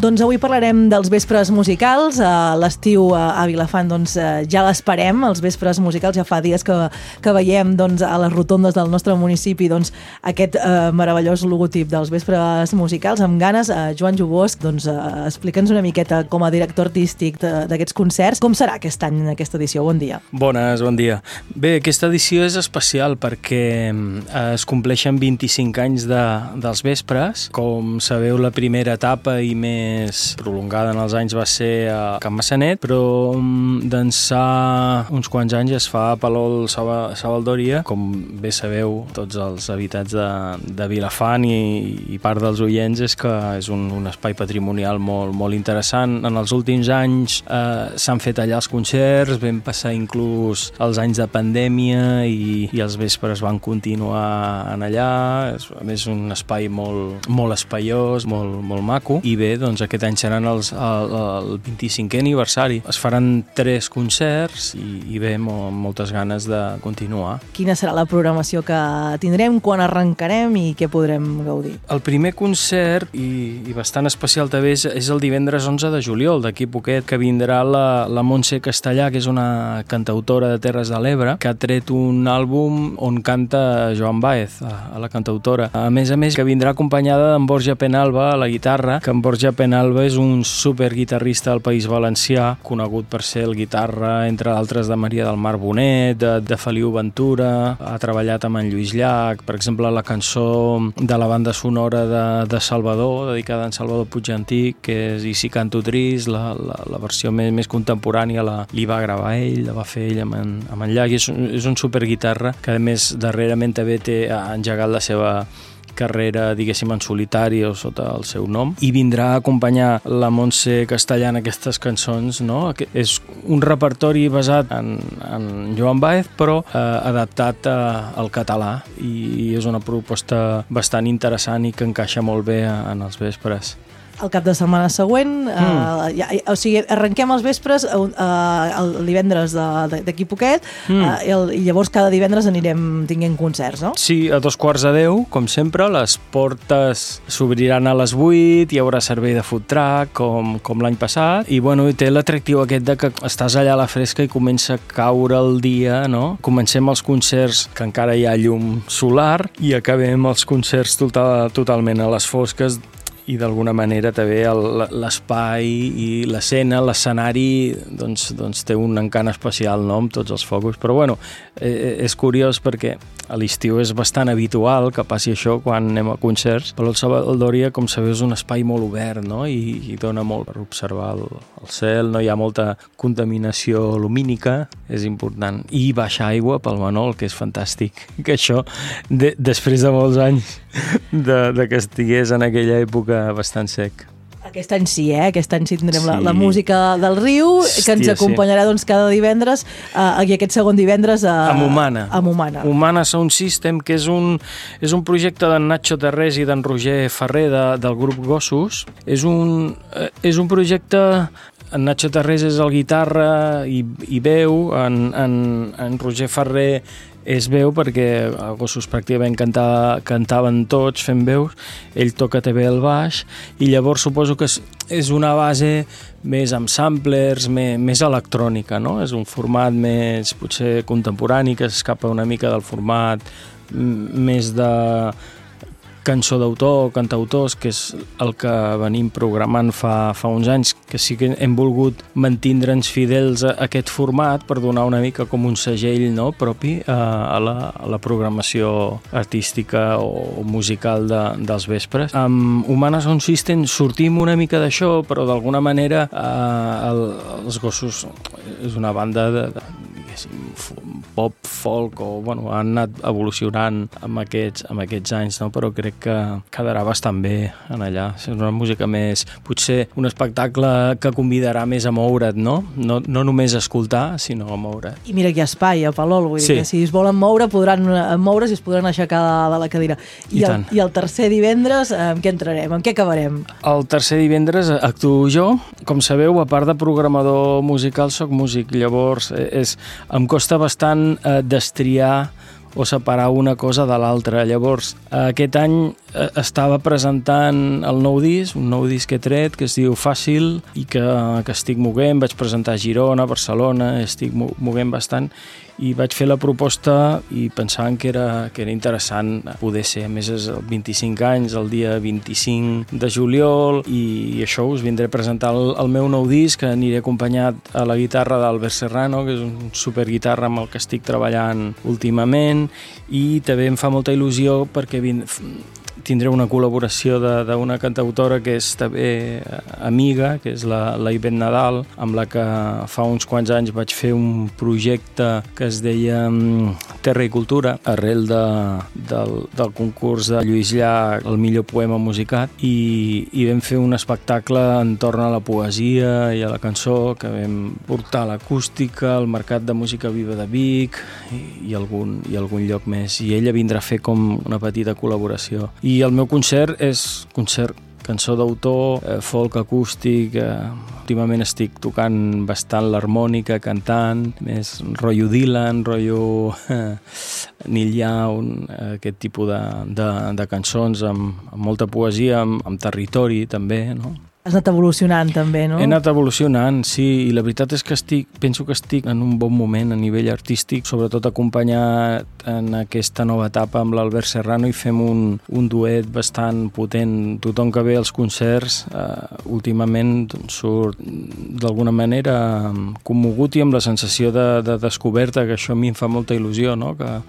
Doncs avui parlarem dels vespres musicals. L'estiu a Vilafant ja l'esperem, els vespres musicals. Ja fa dies que veiem a les rotondes del nostre municipi aquest meravellós logotip dels vespres musicals. Amb ganes, Joan Jubosc, explica'ns una miqueta com a director artístic d'aquests concerts. Com serà aquest any, aquesta edició? Bon dia. Bones, bon dia. Bé, aquesta edició és especial perquè es compleixen 25 anys dels vespres. Com sabeu, la primera etapa i més prolongada en els anys va ser a Can Massanet, però d'ençà uns quants anys es fa a Palol Savaldòria. Com bé sabeu, tots els habitants de Vilafant i part dels oients, és que és un espai patrimonial molt interessant. En els últims anys s'han fet allà els concerts, vam passar inclús els anys de pandèmia i els vespres van continuar en allà. A més, un espai molt espaiós, molt maco. I bé, aquest any seran el 25è aniversari. Es faran 3 concerts i bé, moltes ganes de continuar. Quina serà la programació que tindrem, quan arrencarem i què podrem gaudir? El primer concert, i bastant especial també, és el divendres 11 de juliol, d'aquí poquet, que vindrà la Montse Castellà, que és una cantautora de Terres de l'Ebre, que ha tret un àlbum on canta Joan Baez, a la cantautora. A més, que vindrà acompanyada d'en Borja Penalba a la guitarra, que en Borja Penalba és un superguitarrista del País Valencià, conegut per ser el guitarra, entre d'altres, de Maria del Mar Bonet, de Feliu Ventura, ha treballat amb en Lluís Llach, per exemple, la cançó de la banda sonora de Salvador, dedicada a en Salvador Puigantic, que és I si canto trist, la versió més contemporània li va gravar ell, la va fer ell amb en Llach, i és un superguitarra que, a més, darrerament també ha engegat la seva carrera, diguéssim, en solitari o sota el seu nom, i vindrà a acompanyar la Montse Castellà en aquestes cançons, no? És un repertori basat en Joan Baez, però adaptat al català, i és una proposta bastant interessant i que encaixa molt bé en els vespres. El cap de setmana següent, o sigui, arrenquem els vespres el divendres d'aquí poquet, i llavors cada divendres anirem tinguent concerts, no? Sí, a 9:45, com sempre, les portes s'obriran a les 8, hi haurà servei de food truck, com l'any passat, i bueno, té l'atractiu aquest de que estàs allà a la fresca i comença a caure el dia, no? Comencem els concerts que encara hi ha llum solar i acabem els concerts totalment a les fosques, i d'alguna manera també l'espai i l'escena, l'escenari té un encant especial, no?, amb tots els focus. Però bueno, és curiós perquè a l'estiu és bastant habitual que passi això quan anem a concerts, però el Savaldòria, com sabeu, és un espai molt obert, no?, i dona molt per observar el cel, no hi ha molta contaminació lumínica, és important, i baixa aigua pel Manol, que és fantàstic, que això, després de molts anys de que estigués en aquella època bastant sec. Aquest any sí, aquest any sí tindrem la música del riu, que ens acompanyarà cada divendres, i aquest segon divendres amb Humana. Humana Sound System, que és un projecte d'en Nacho Terrés i d'en Roger Ferrer del grup Gossos. És un projecte. En Nacho Terrés és el guitarra i veu, en Roger Ferrer és veu, perquè a Gossos pràcticament cantaven tots fent veus, ell toca també el baix, i llavors suposo que és una base més amb samplers, més electrònica, no? És un format més potser contemporani, que s'escapa una mica del format més de cançó d'autor, cantautors, que és el que venim programant fa uns anys, que sí que hem volgut mantindre'ns fidels a aquest format per donar una mica com un segell, no?, propi a la programació artística o musical dels vespres. Amb Humana Sound System sortim una mica d'això, però d'alguna manera els Gossos és una banda de pop, folk, o bueno, han anat evolucionant amb aquests anys, no? Però crec que quedarà bastant bé en allà. És una música més, potser un espectacle que convidarà més a moure't, no? No només a escoltar, sinó a moure't. I mira que hi ha espai a Palol, vull dir que si es volen moure podran moure's i es podran aixecar de la cadira. I el tercer divendres, amb què entrarem? Amb què acabarem? El tercer divendres actuo jo. Com sabeu, a part de programador musical, soc músic. Llavors, em costa bastant destriar o separar una cosa de l'altra. Llavors, aquest any estava presentant el nou disc, un nou disc que he tret, que es diu Fàcil, i que estic moguent. Vaig presentar a Girona, Barcelona, estic moguent bastant, i vaig fer la proposta i pensaven que era interessant poder ser. A més, és el 25 anys, el dia 25 de juliol, i això us vindré a presentar el meu nou disc, que aniré acompanyat a la guitarra d'Albert Serrano, que és un superguitarra amb el que estic treballant últimament, i també em fa molta il·lusió perquè tindré una col·laboració d'una cantautora que és també amiga, que és la Ivette Nadal, amb la que fa uns quants anys vaig fer un projecte que es deia Terra i Cultura, arrel del concurs de Lluís Llach, el millor poema musicat, i vam fer un espectacle entorn a la poesia i a la cançó, que vam portar l'acústica, al Mercat de Música Viva de Vic i algun lloc més. I ella vindrà a fer com una petita col·laboració. I el meu concert és cançó d'autor, folk acústic. Últimament estic tocant bastant l'harmònica, cantant, més rotllo Dylan, rotllo Neil Young, aquest tipus de cançons amb molta poesia, amb territori també, no? Has anat evolucionant també, no? He anat evolucionant, sí, i la veritat és que penso que estic en un bon moment a nivell artístic, sobretot acompanyat en aquesta nova etapa amb l'Albert Serrano, i fem un duet bastant potent. Tothom que ve als concerts últimament surt d'alguna manera commogut i amb la sensació de descoberta, que això a mi em fa molta il·lusió, no? Que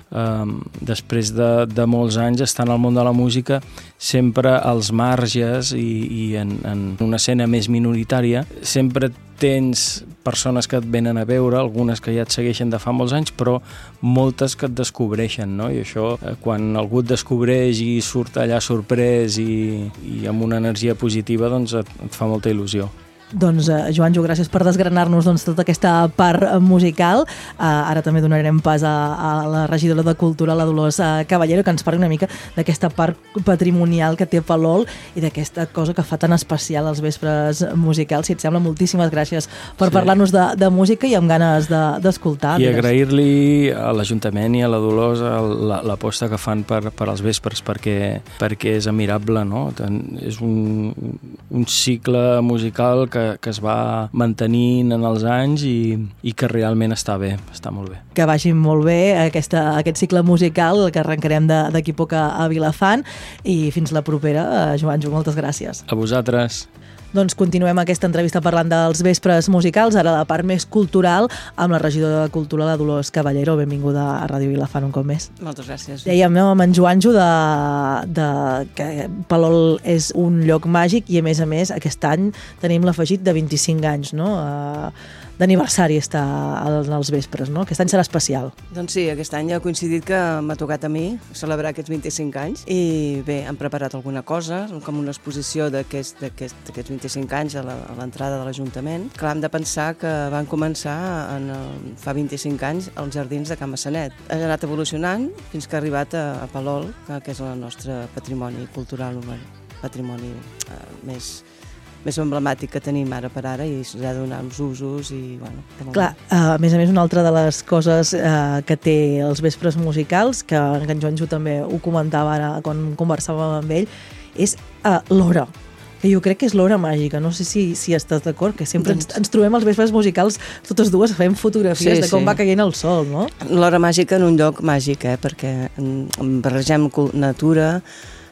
després de molts anys estar en el món de la música, sempre als marges i en una escena més minoritària, sempre tens persones que et venen a veure, algunes que ja et segueixen de fa molts anys, però moltes que et descobreixen, no? I això, quan algú et descobreix i surt allà sorprès i amb una energia positiva, doncs et fa molta il·lusió. Doncs, Joanjo, gràcies per desgranar-nos tota aquesta part musical. Ara també donarem pas a la regidora de Cultura, la Dolors Caballero, que ens parli una mica d'aquesta part patrimonial que té Palol i d'aquesta cosa que fa tan especial els vespres musicals. Si et sembla, moltíssimes gràcies per parlar-nos de música i amb ganes d'escoltar. I agrair-li a l'Ajuntament i a la Dolors l'aposta que fan per als vespres, perquè és admirable, no? És un cicle musical que es va mantenint en els anys i que realment està bé, està molt bé. Que vagi molt bé aquest cicle musical que arrencarem d'aquí poc a Vilafant, i fins la propera. Joanjo, moltes gràcies. A vosaltres. Doncs continuem aquesta entrevista parlant dels vespres musicals, ara la part més cultural, amb la regidora de Cultura, la Dolors Caballero. Benvinguda a Ràdio Vilafant un cop més. Moltes gràcies. Dèiem amb en Joanjo que Palol és un lloc màgic i, a més, aquest any tenim l'afegit de 25 anys, no? D'aniversari està als vespres, no? Aquest any serà especial. Doncs sí, aquest any ha coincidit que m'ha tocat a mi celebrar aquests 25 anys i bé, hem preparat alguna cosa, com una exposició d'aquests 25 anys a l'entrada de l'Ajuntament. Clar, hem de pensar que van començar fa 25 anys als jardins de Can Massanet. Ha anat evolucionant fins que ha arribat a Palol, que és el nostre patrimoni cultural, patrimoni més emblemàtic que tenim ara per ara, i s'ha de donar uns usos i, bueno... Clar, a més, una altra de les coses que té els vespres musicals, que en Joanjo també ho comentava ara quan conversàvem amb ell, és l'hora, que jo crec que és l'hora màgica. No sé si estàs d'acord, que sempre ens trobem als vespres musicals totes dues fent fotografies de com va caient el sol, no? L'hora màgica en un lloc màgic, perquè barregem natura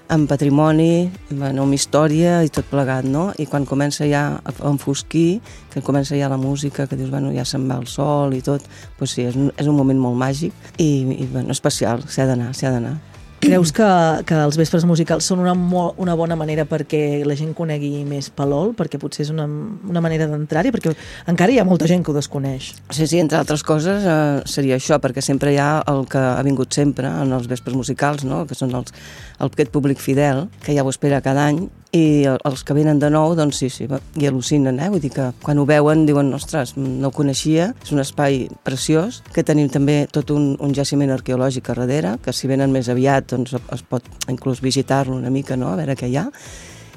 amb patrimoni, amb història i tot plegat, no? I quan comença ja a enfosquir, que comença ja la música, que dius, bueno, ja se'n va el sol i tot, doncs sí, és un moment molt màgic i bueno, especial, s'ha d'anar. Creus que els vespres musicals són una bona manera perquè la gent conegui més Palol, perquè potser és una manera d'entrar-hi, perquè encara hi ha molta gent que ho desconeix? Sí, entre altres coses seria això, perquè sempre hi ha el que ha vingut sempre en els vespres musicals, no? Que són aquest públic fidel, que ja ho espera cada any, i els que venen de nou, doncs sí, i al·lucinen, vull dir que quan ho veuen diuen, ostres, no ho coneixia, és un espai preciós, que tenim també tot un jaciment arqueològic a darrere, que si venen més aviat doncs es pot inclús visitar-lo una mica, no?, a veure què hi ha,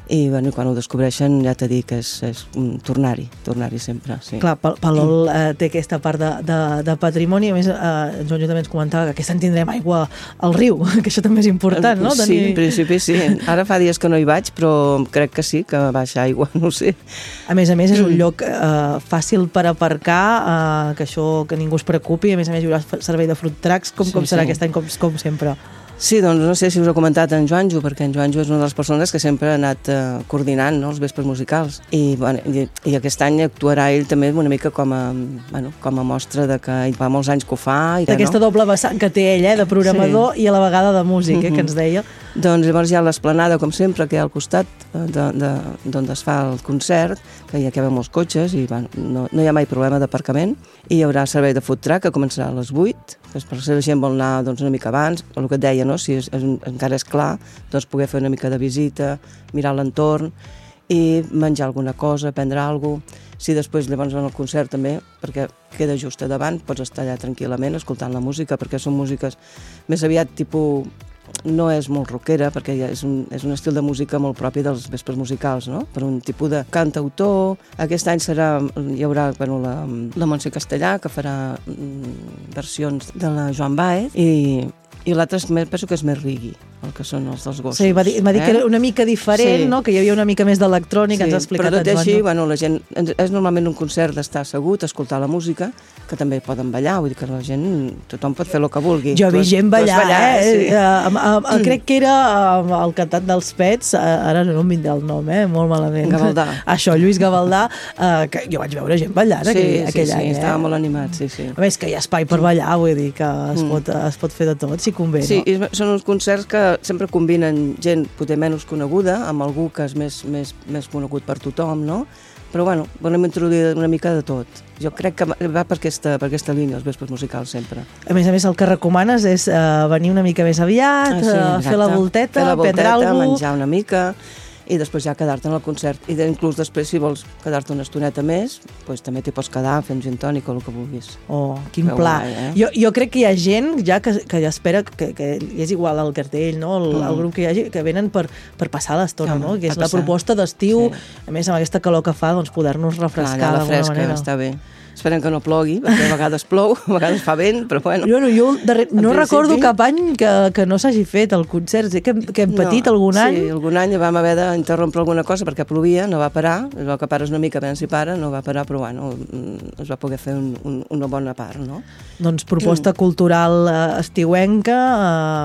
i quan ho descobreixen ja t'he dit que és tornar-hi sempre. Sí. Clar, Palol té aquesta part de patrimoni, a més, en Joan també ens comentava que aquest any tindrem aigua al riu, que això també és important, no? Sí, en principi sí. Ara fa dies que no hi vaig, però crec que sí, que baixa aigua, no ho sé. A més, és un lloc fàcil per aparcar, que això que ningú es preocupi, a més hi haurà servei de fruit tracks, com serà aquest any, com sempre. Sí, doncs no sé si us ho ha comentat en Joanjo, perquè en Joanjo és una de les persones que sempre ha anat coordinant, no?, els vespres musicals. I aquest any actuarà ell també una mica com a mostra de que ell fa molts anys que ho fa. D'aquesta doble vessant que té ell, de programador i a la vegada de músic, que ens deia. Doncs llavors hi ha l'esplanada, com sempre, que hi ha al costat d'on es fa el concert, que hi ha molts cotxes i no hi ha mai problema d'aparcament, i hi haurà servei de food truck que començarà a les 8, que per si la gent vol anar una mica abans, el que et deia, no? Si encara és clar, doncs poder fer una mica de visita, mirar l'entorn i menjar alguna cosa, prendre alguna cosa. Si després llavors en el concert també, perquè queda just a davant, pots estar allà tranquil·lament escoltant la música, perquè són músiques més aviat tipus... No és molt rockera, perquè és un estil de música molt propi dels vespres musicals, no? Per un tipus de cantautor. Aquest any hi haurà la Montse Castellà, que farà versions de la Joan Baez, i l'altre penso que és més reggae, el que són els dels gossos. Sí, va dir que era una mica diferent, no? Que hi havia una mica més d'electrònica, ens ha explicat en Joan. Però tot així, la gent... És normalment un concert d'estar assegut, escoltar la música, que també poden ballar, vull dir que la gent... Tothom pot fer el que vulgui. Jo he vist gent ballar, crec que era el cantant dels Pets, ara no em vindrà el nom, molt malament. Gavaldà. Això, Lluís Gavaldà, que jo vaig veure gent ballant aquell any. Sí, estava molt animat, sí. A més, que hi ha espai per ballar, vull dir que es pot fer de tot, si convé, no? Sí, són uns concerts que sempre combinen gent potser menys coneguda amb algú que és més conegut per tothom, no? Però volem introduir una mica de tot. Jo crec que va per aquesta línia, els vespres musicals, sempre. A més, el que recomanes és venir una mica més aviat, fer la volteta, prendre alguna cosa... menjar una mica... i després ja quedar-te en el concert. I inclús després, si vols quedar-te una estoneta més, doncs també t'hi pots quedar fent gin tònic o el que vulguis. Oh, quin pla. Jo crec que hi ha gent ja que espera, que és igual el cartell, no? El grup que hi hagi, que venen per passar l'estona, no? Que és la proposta d'estiu, a més amb aquesta calor que fa, doncs poder-nos refrescar d'alguna manera. Està bé. Esperem que no plogui, perquè a vegades plou, a vegades fa vent, però bueno. Jo no recordo cap any que no s'hagi fet el concert, que hem patit algun any. Sí, algun any vam haver d'interrompre alguna cosa perquè plovia, no va parar, el que pares una mica, a veure si para, no va parar, però bueno, es va poder fer una bona part, no? Doncs proposta cultural estiuenca,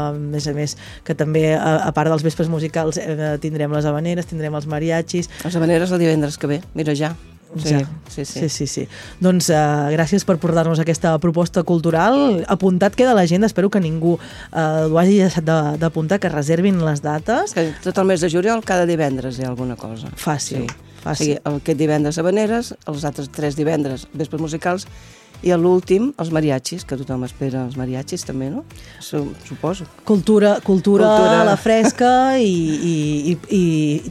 a més, que també, a part dels vespres musicals, tindrem les habaneres, tindrem els mariachis. Les habaneres el divendres que ve, mira ja. Sí. Doncs gràcies per portar-nos aquesta proposta cultural. Apuntat queda l'agenda, espero que ningú ho hagi deixat d'apuntar, que reservin les dates. Tot el mes de juliol, cada divendres hi ha alguna cosa. Fàcil. O sigui, aquest divendres habaneres, els altres 3 divendres vespres musicals, i l'últim, els mariachis, que tothom espera els mariachis també, no? Suposo. Cultura a la fresca i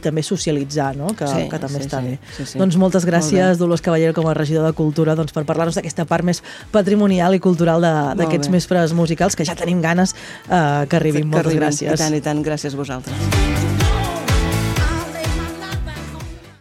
també socialitzar, no? Que també està bé. Doncs moltes gràcies, Dolors Caballero, com a regidor de Cultura, per parlar-nos d'aquesta part més patrimonial i cultural d'aquests vespres musicals, que ja tenim ganes que arribin. Moltes gràcies. I tant, gràcies a vosaltres.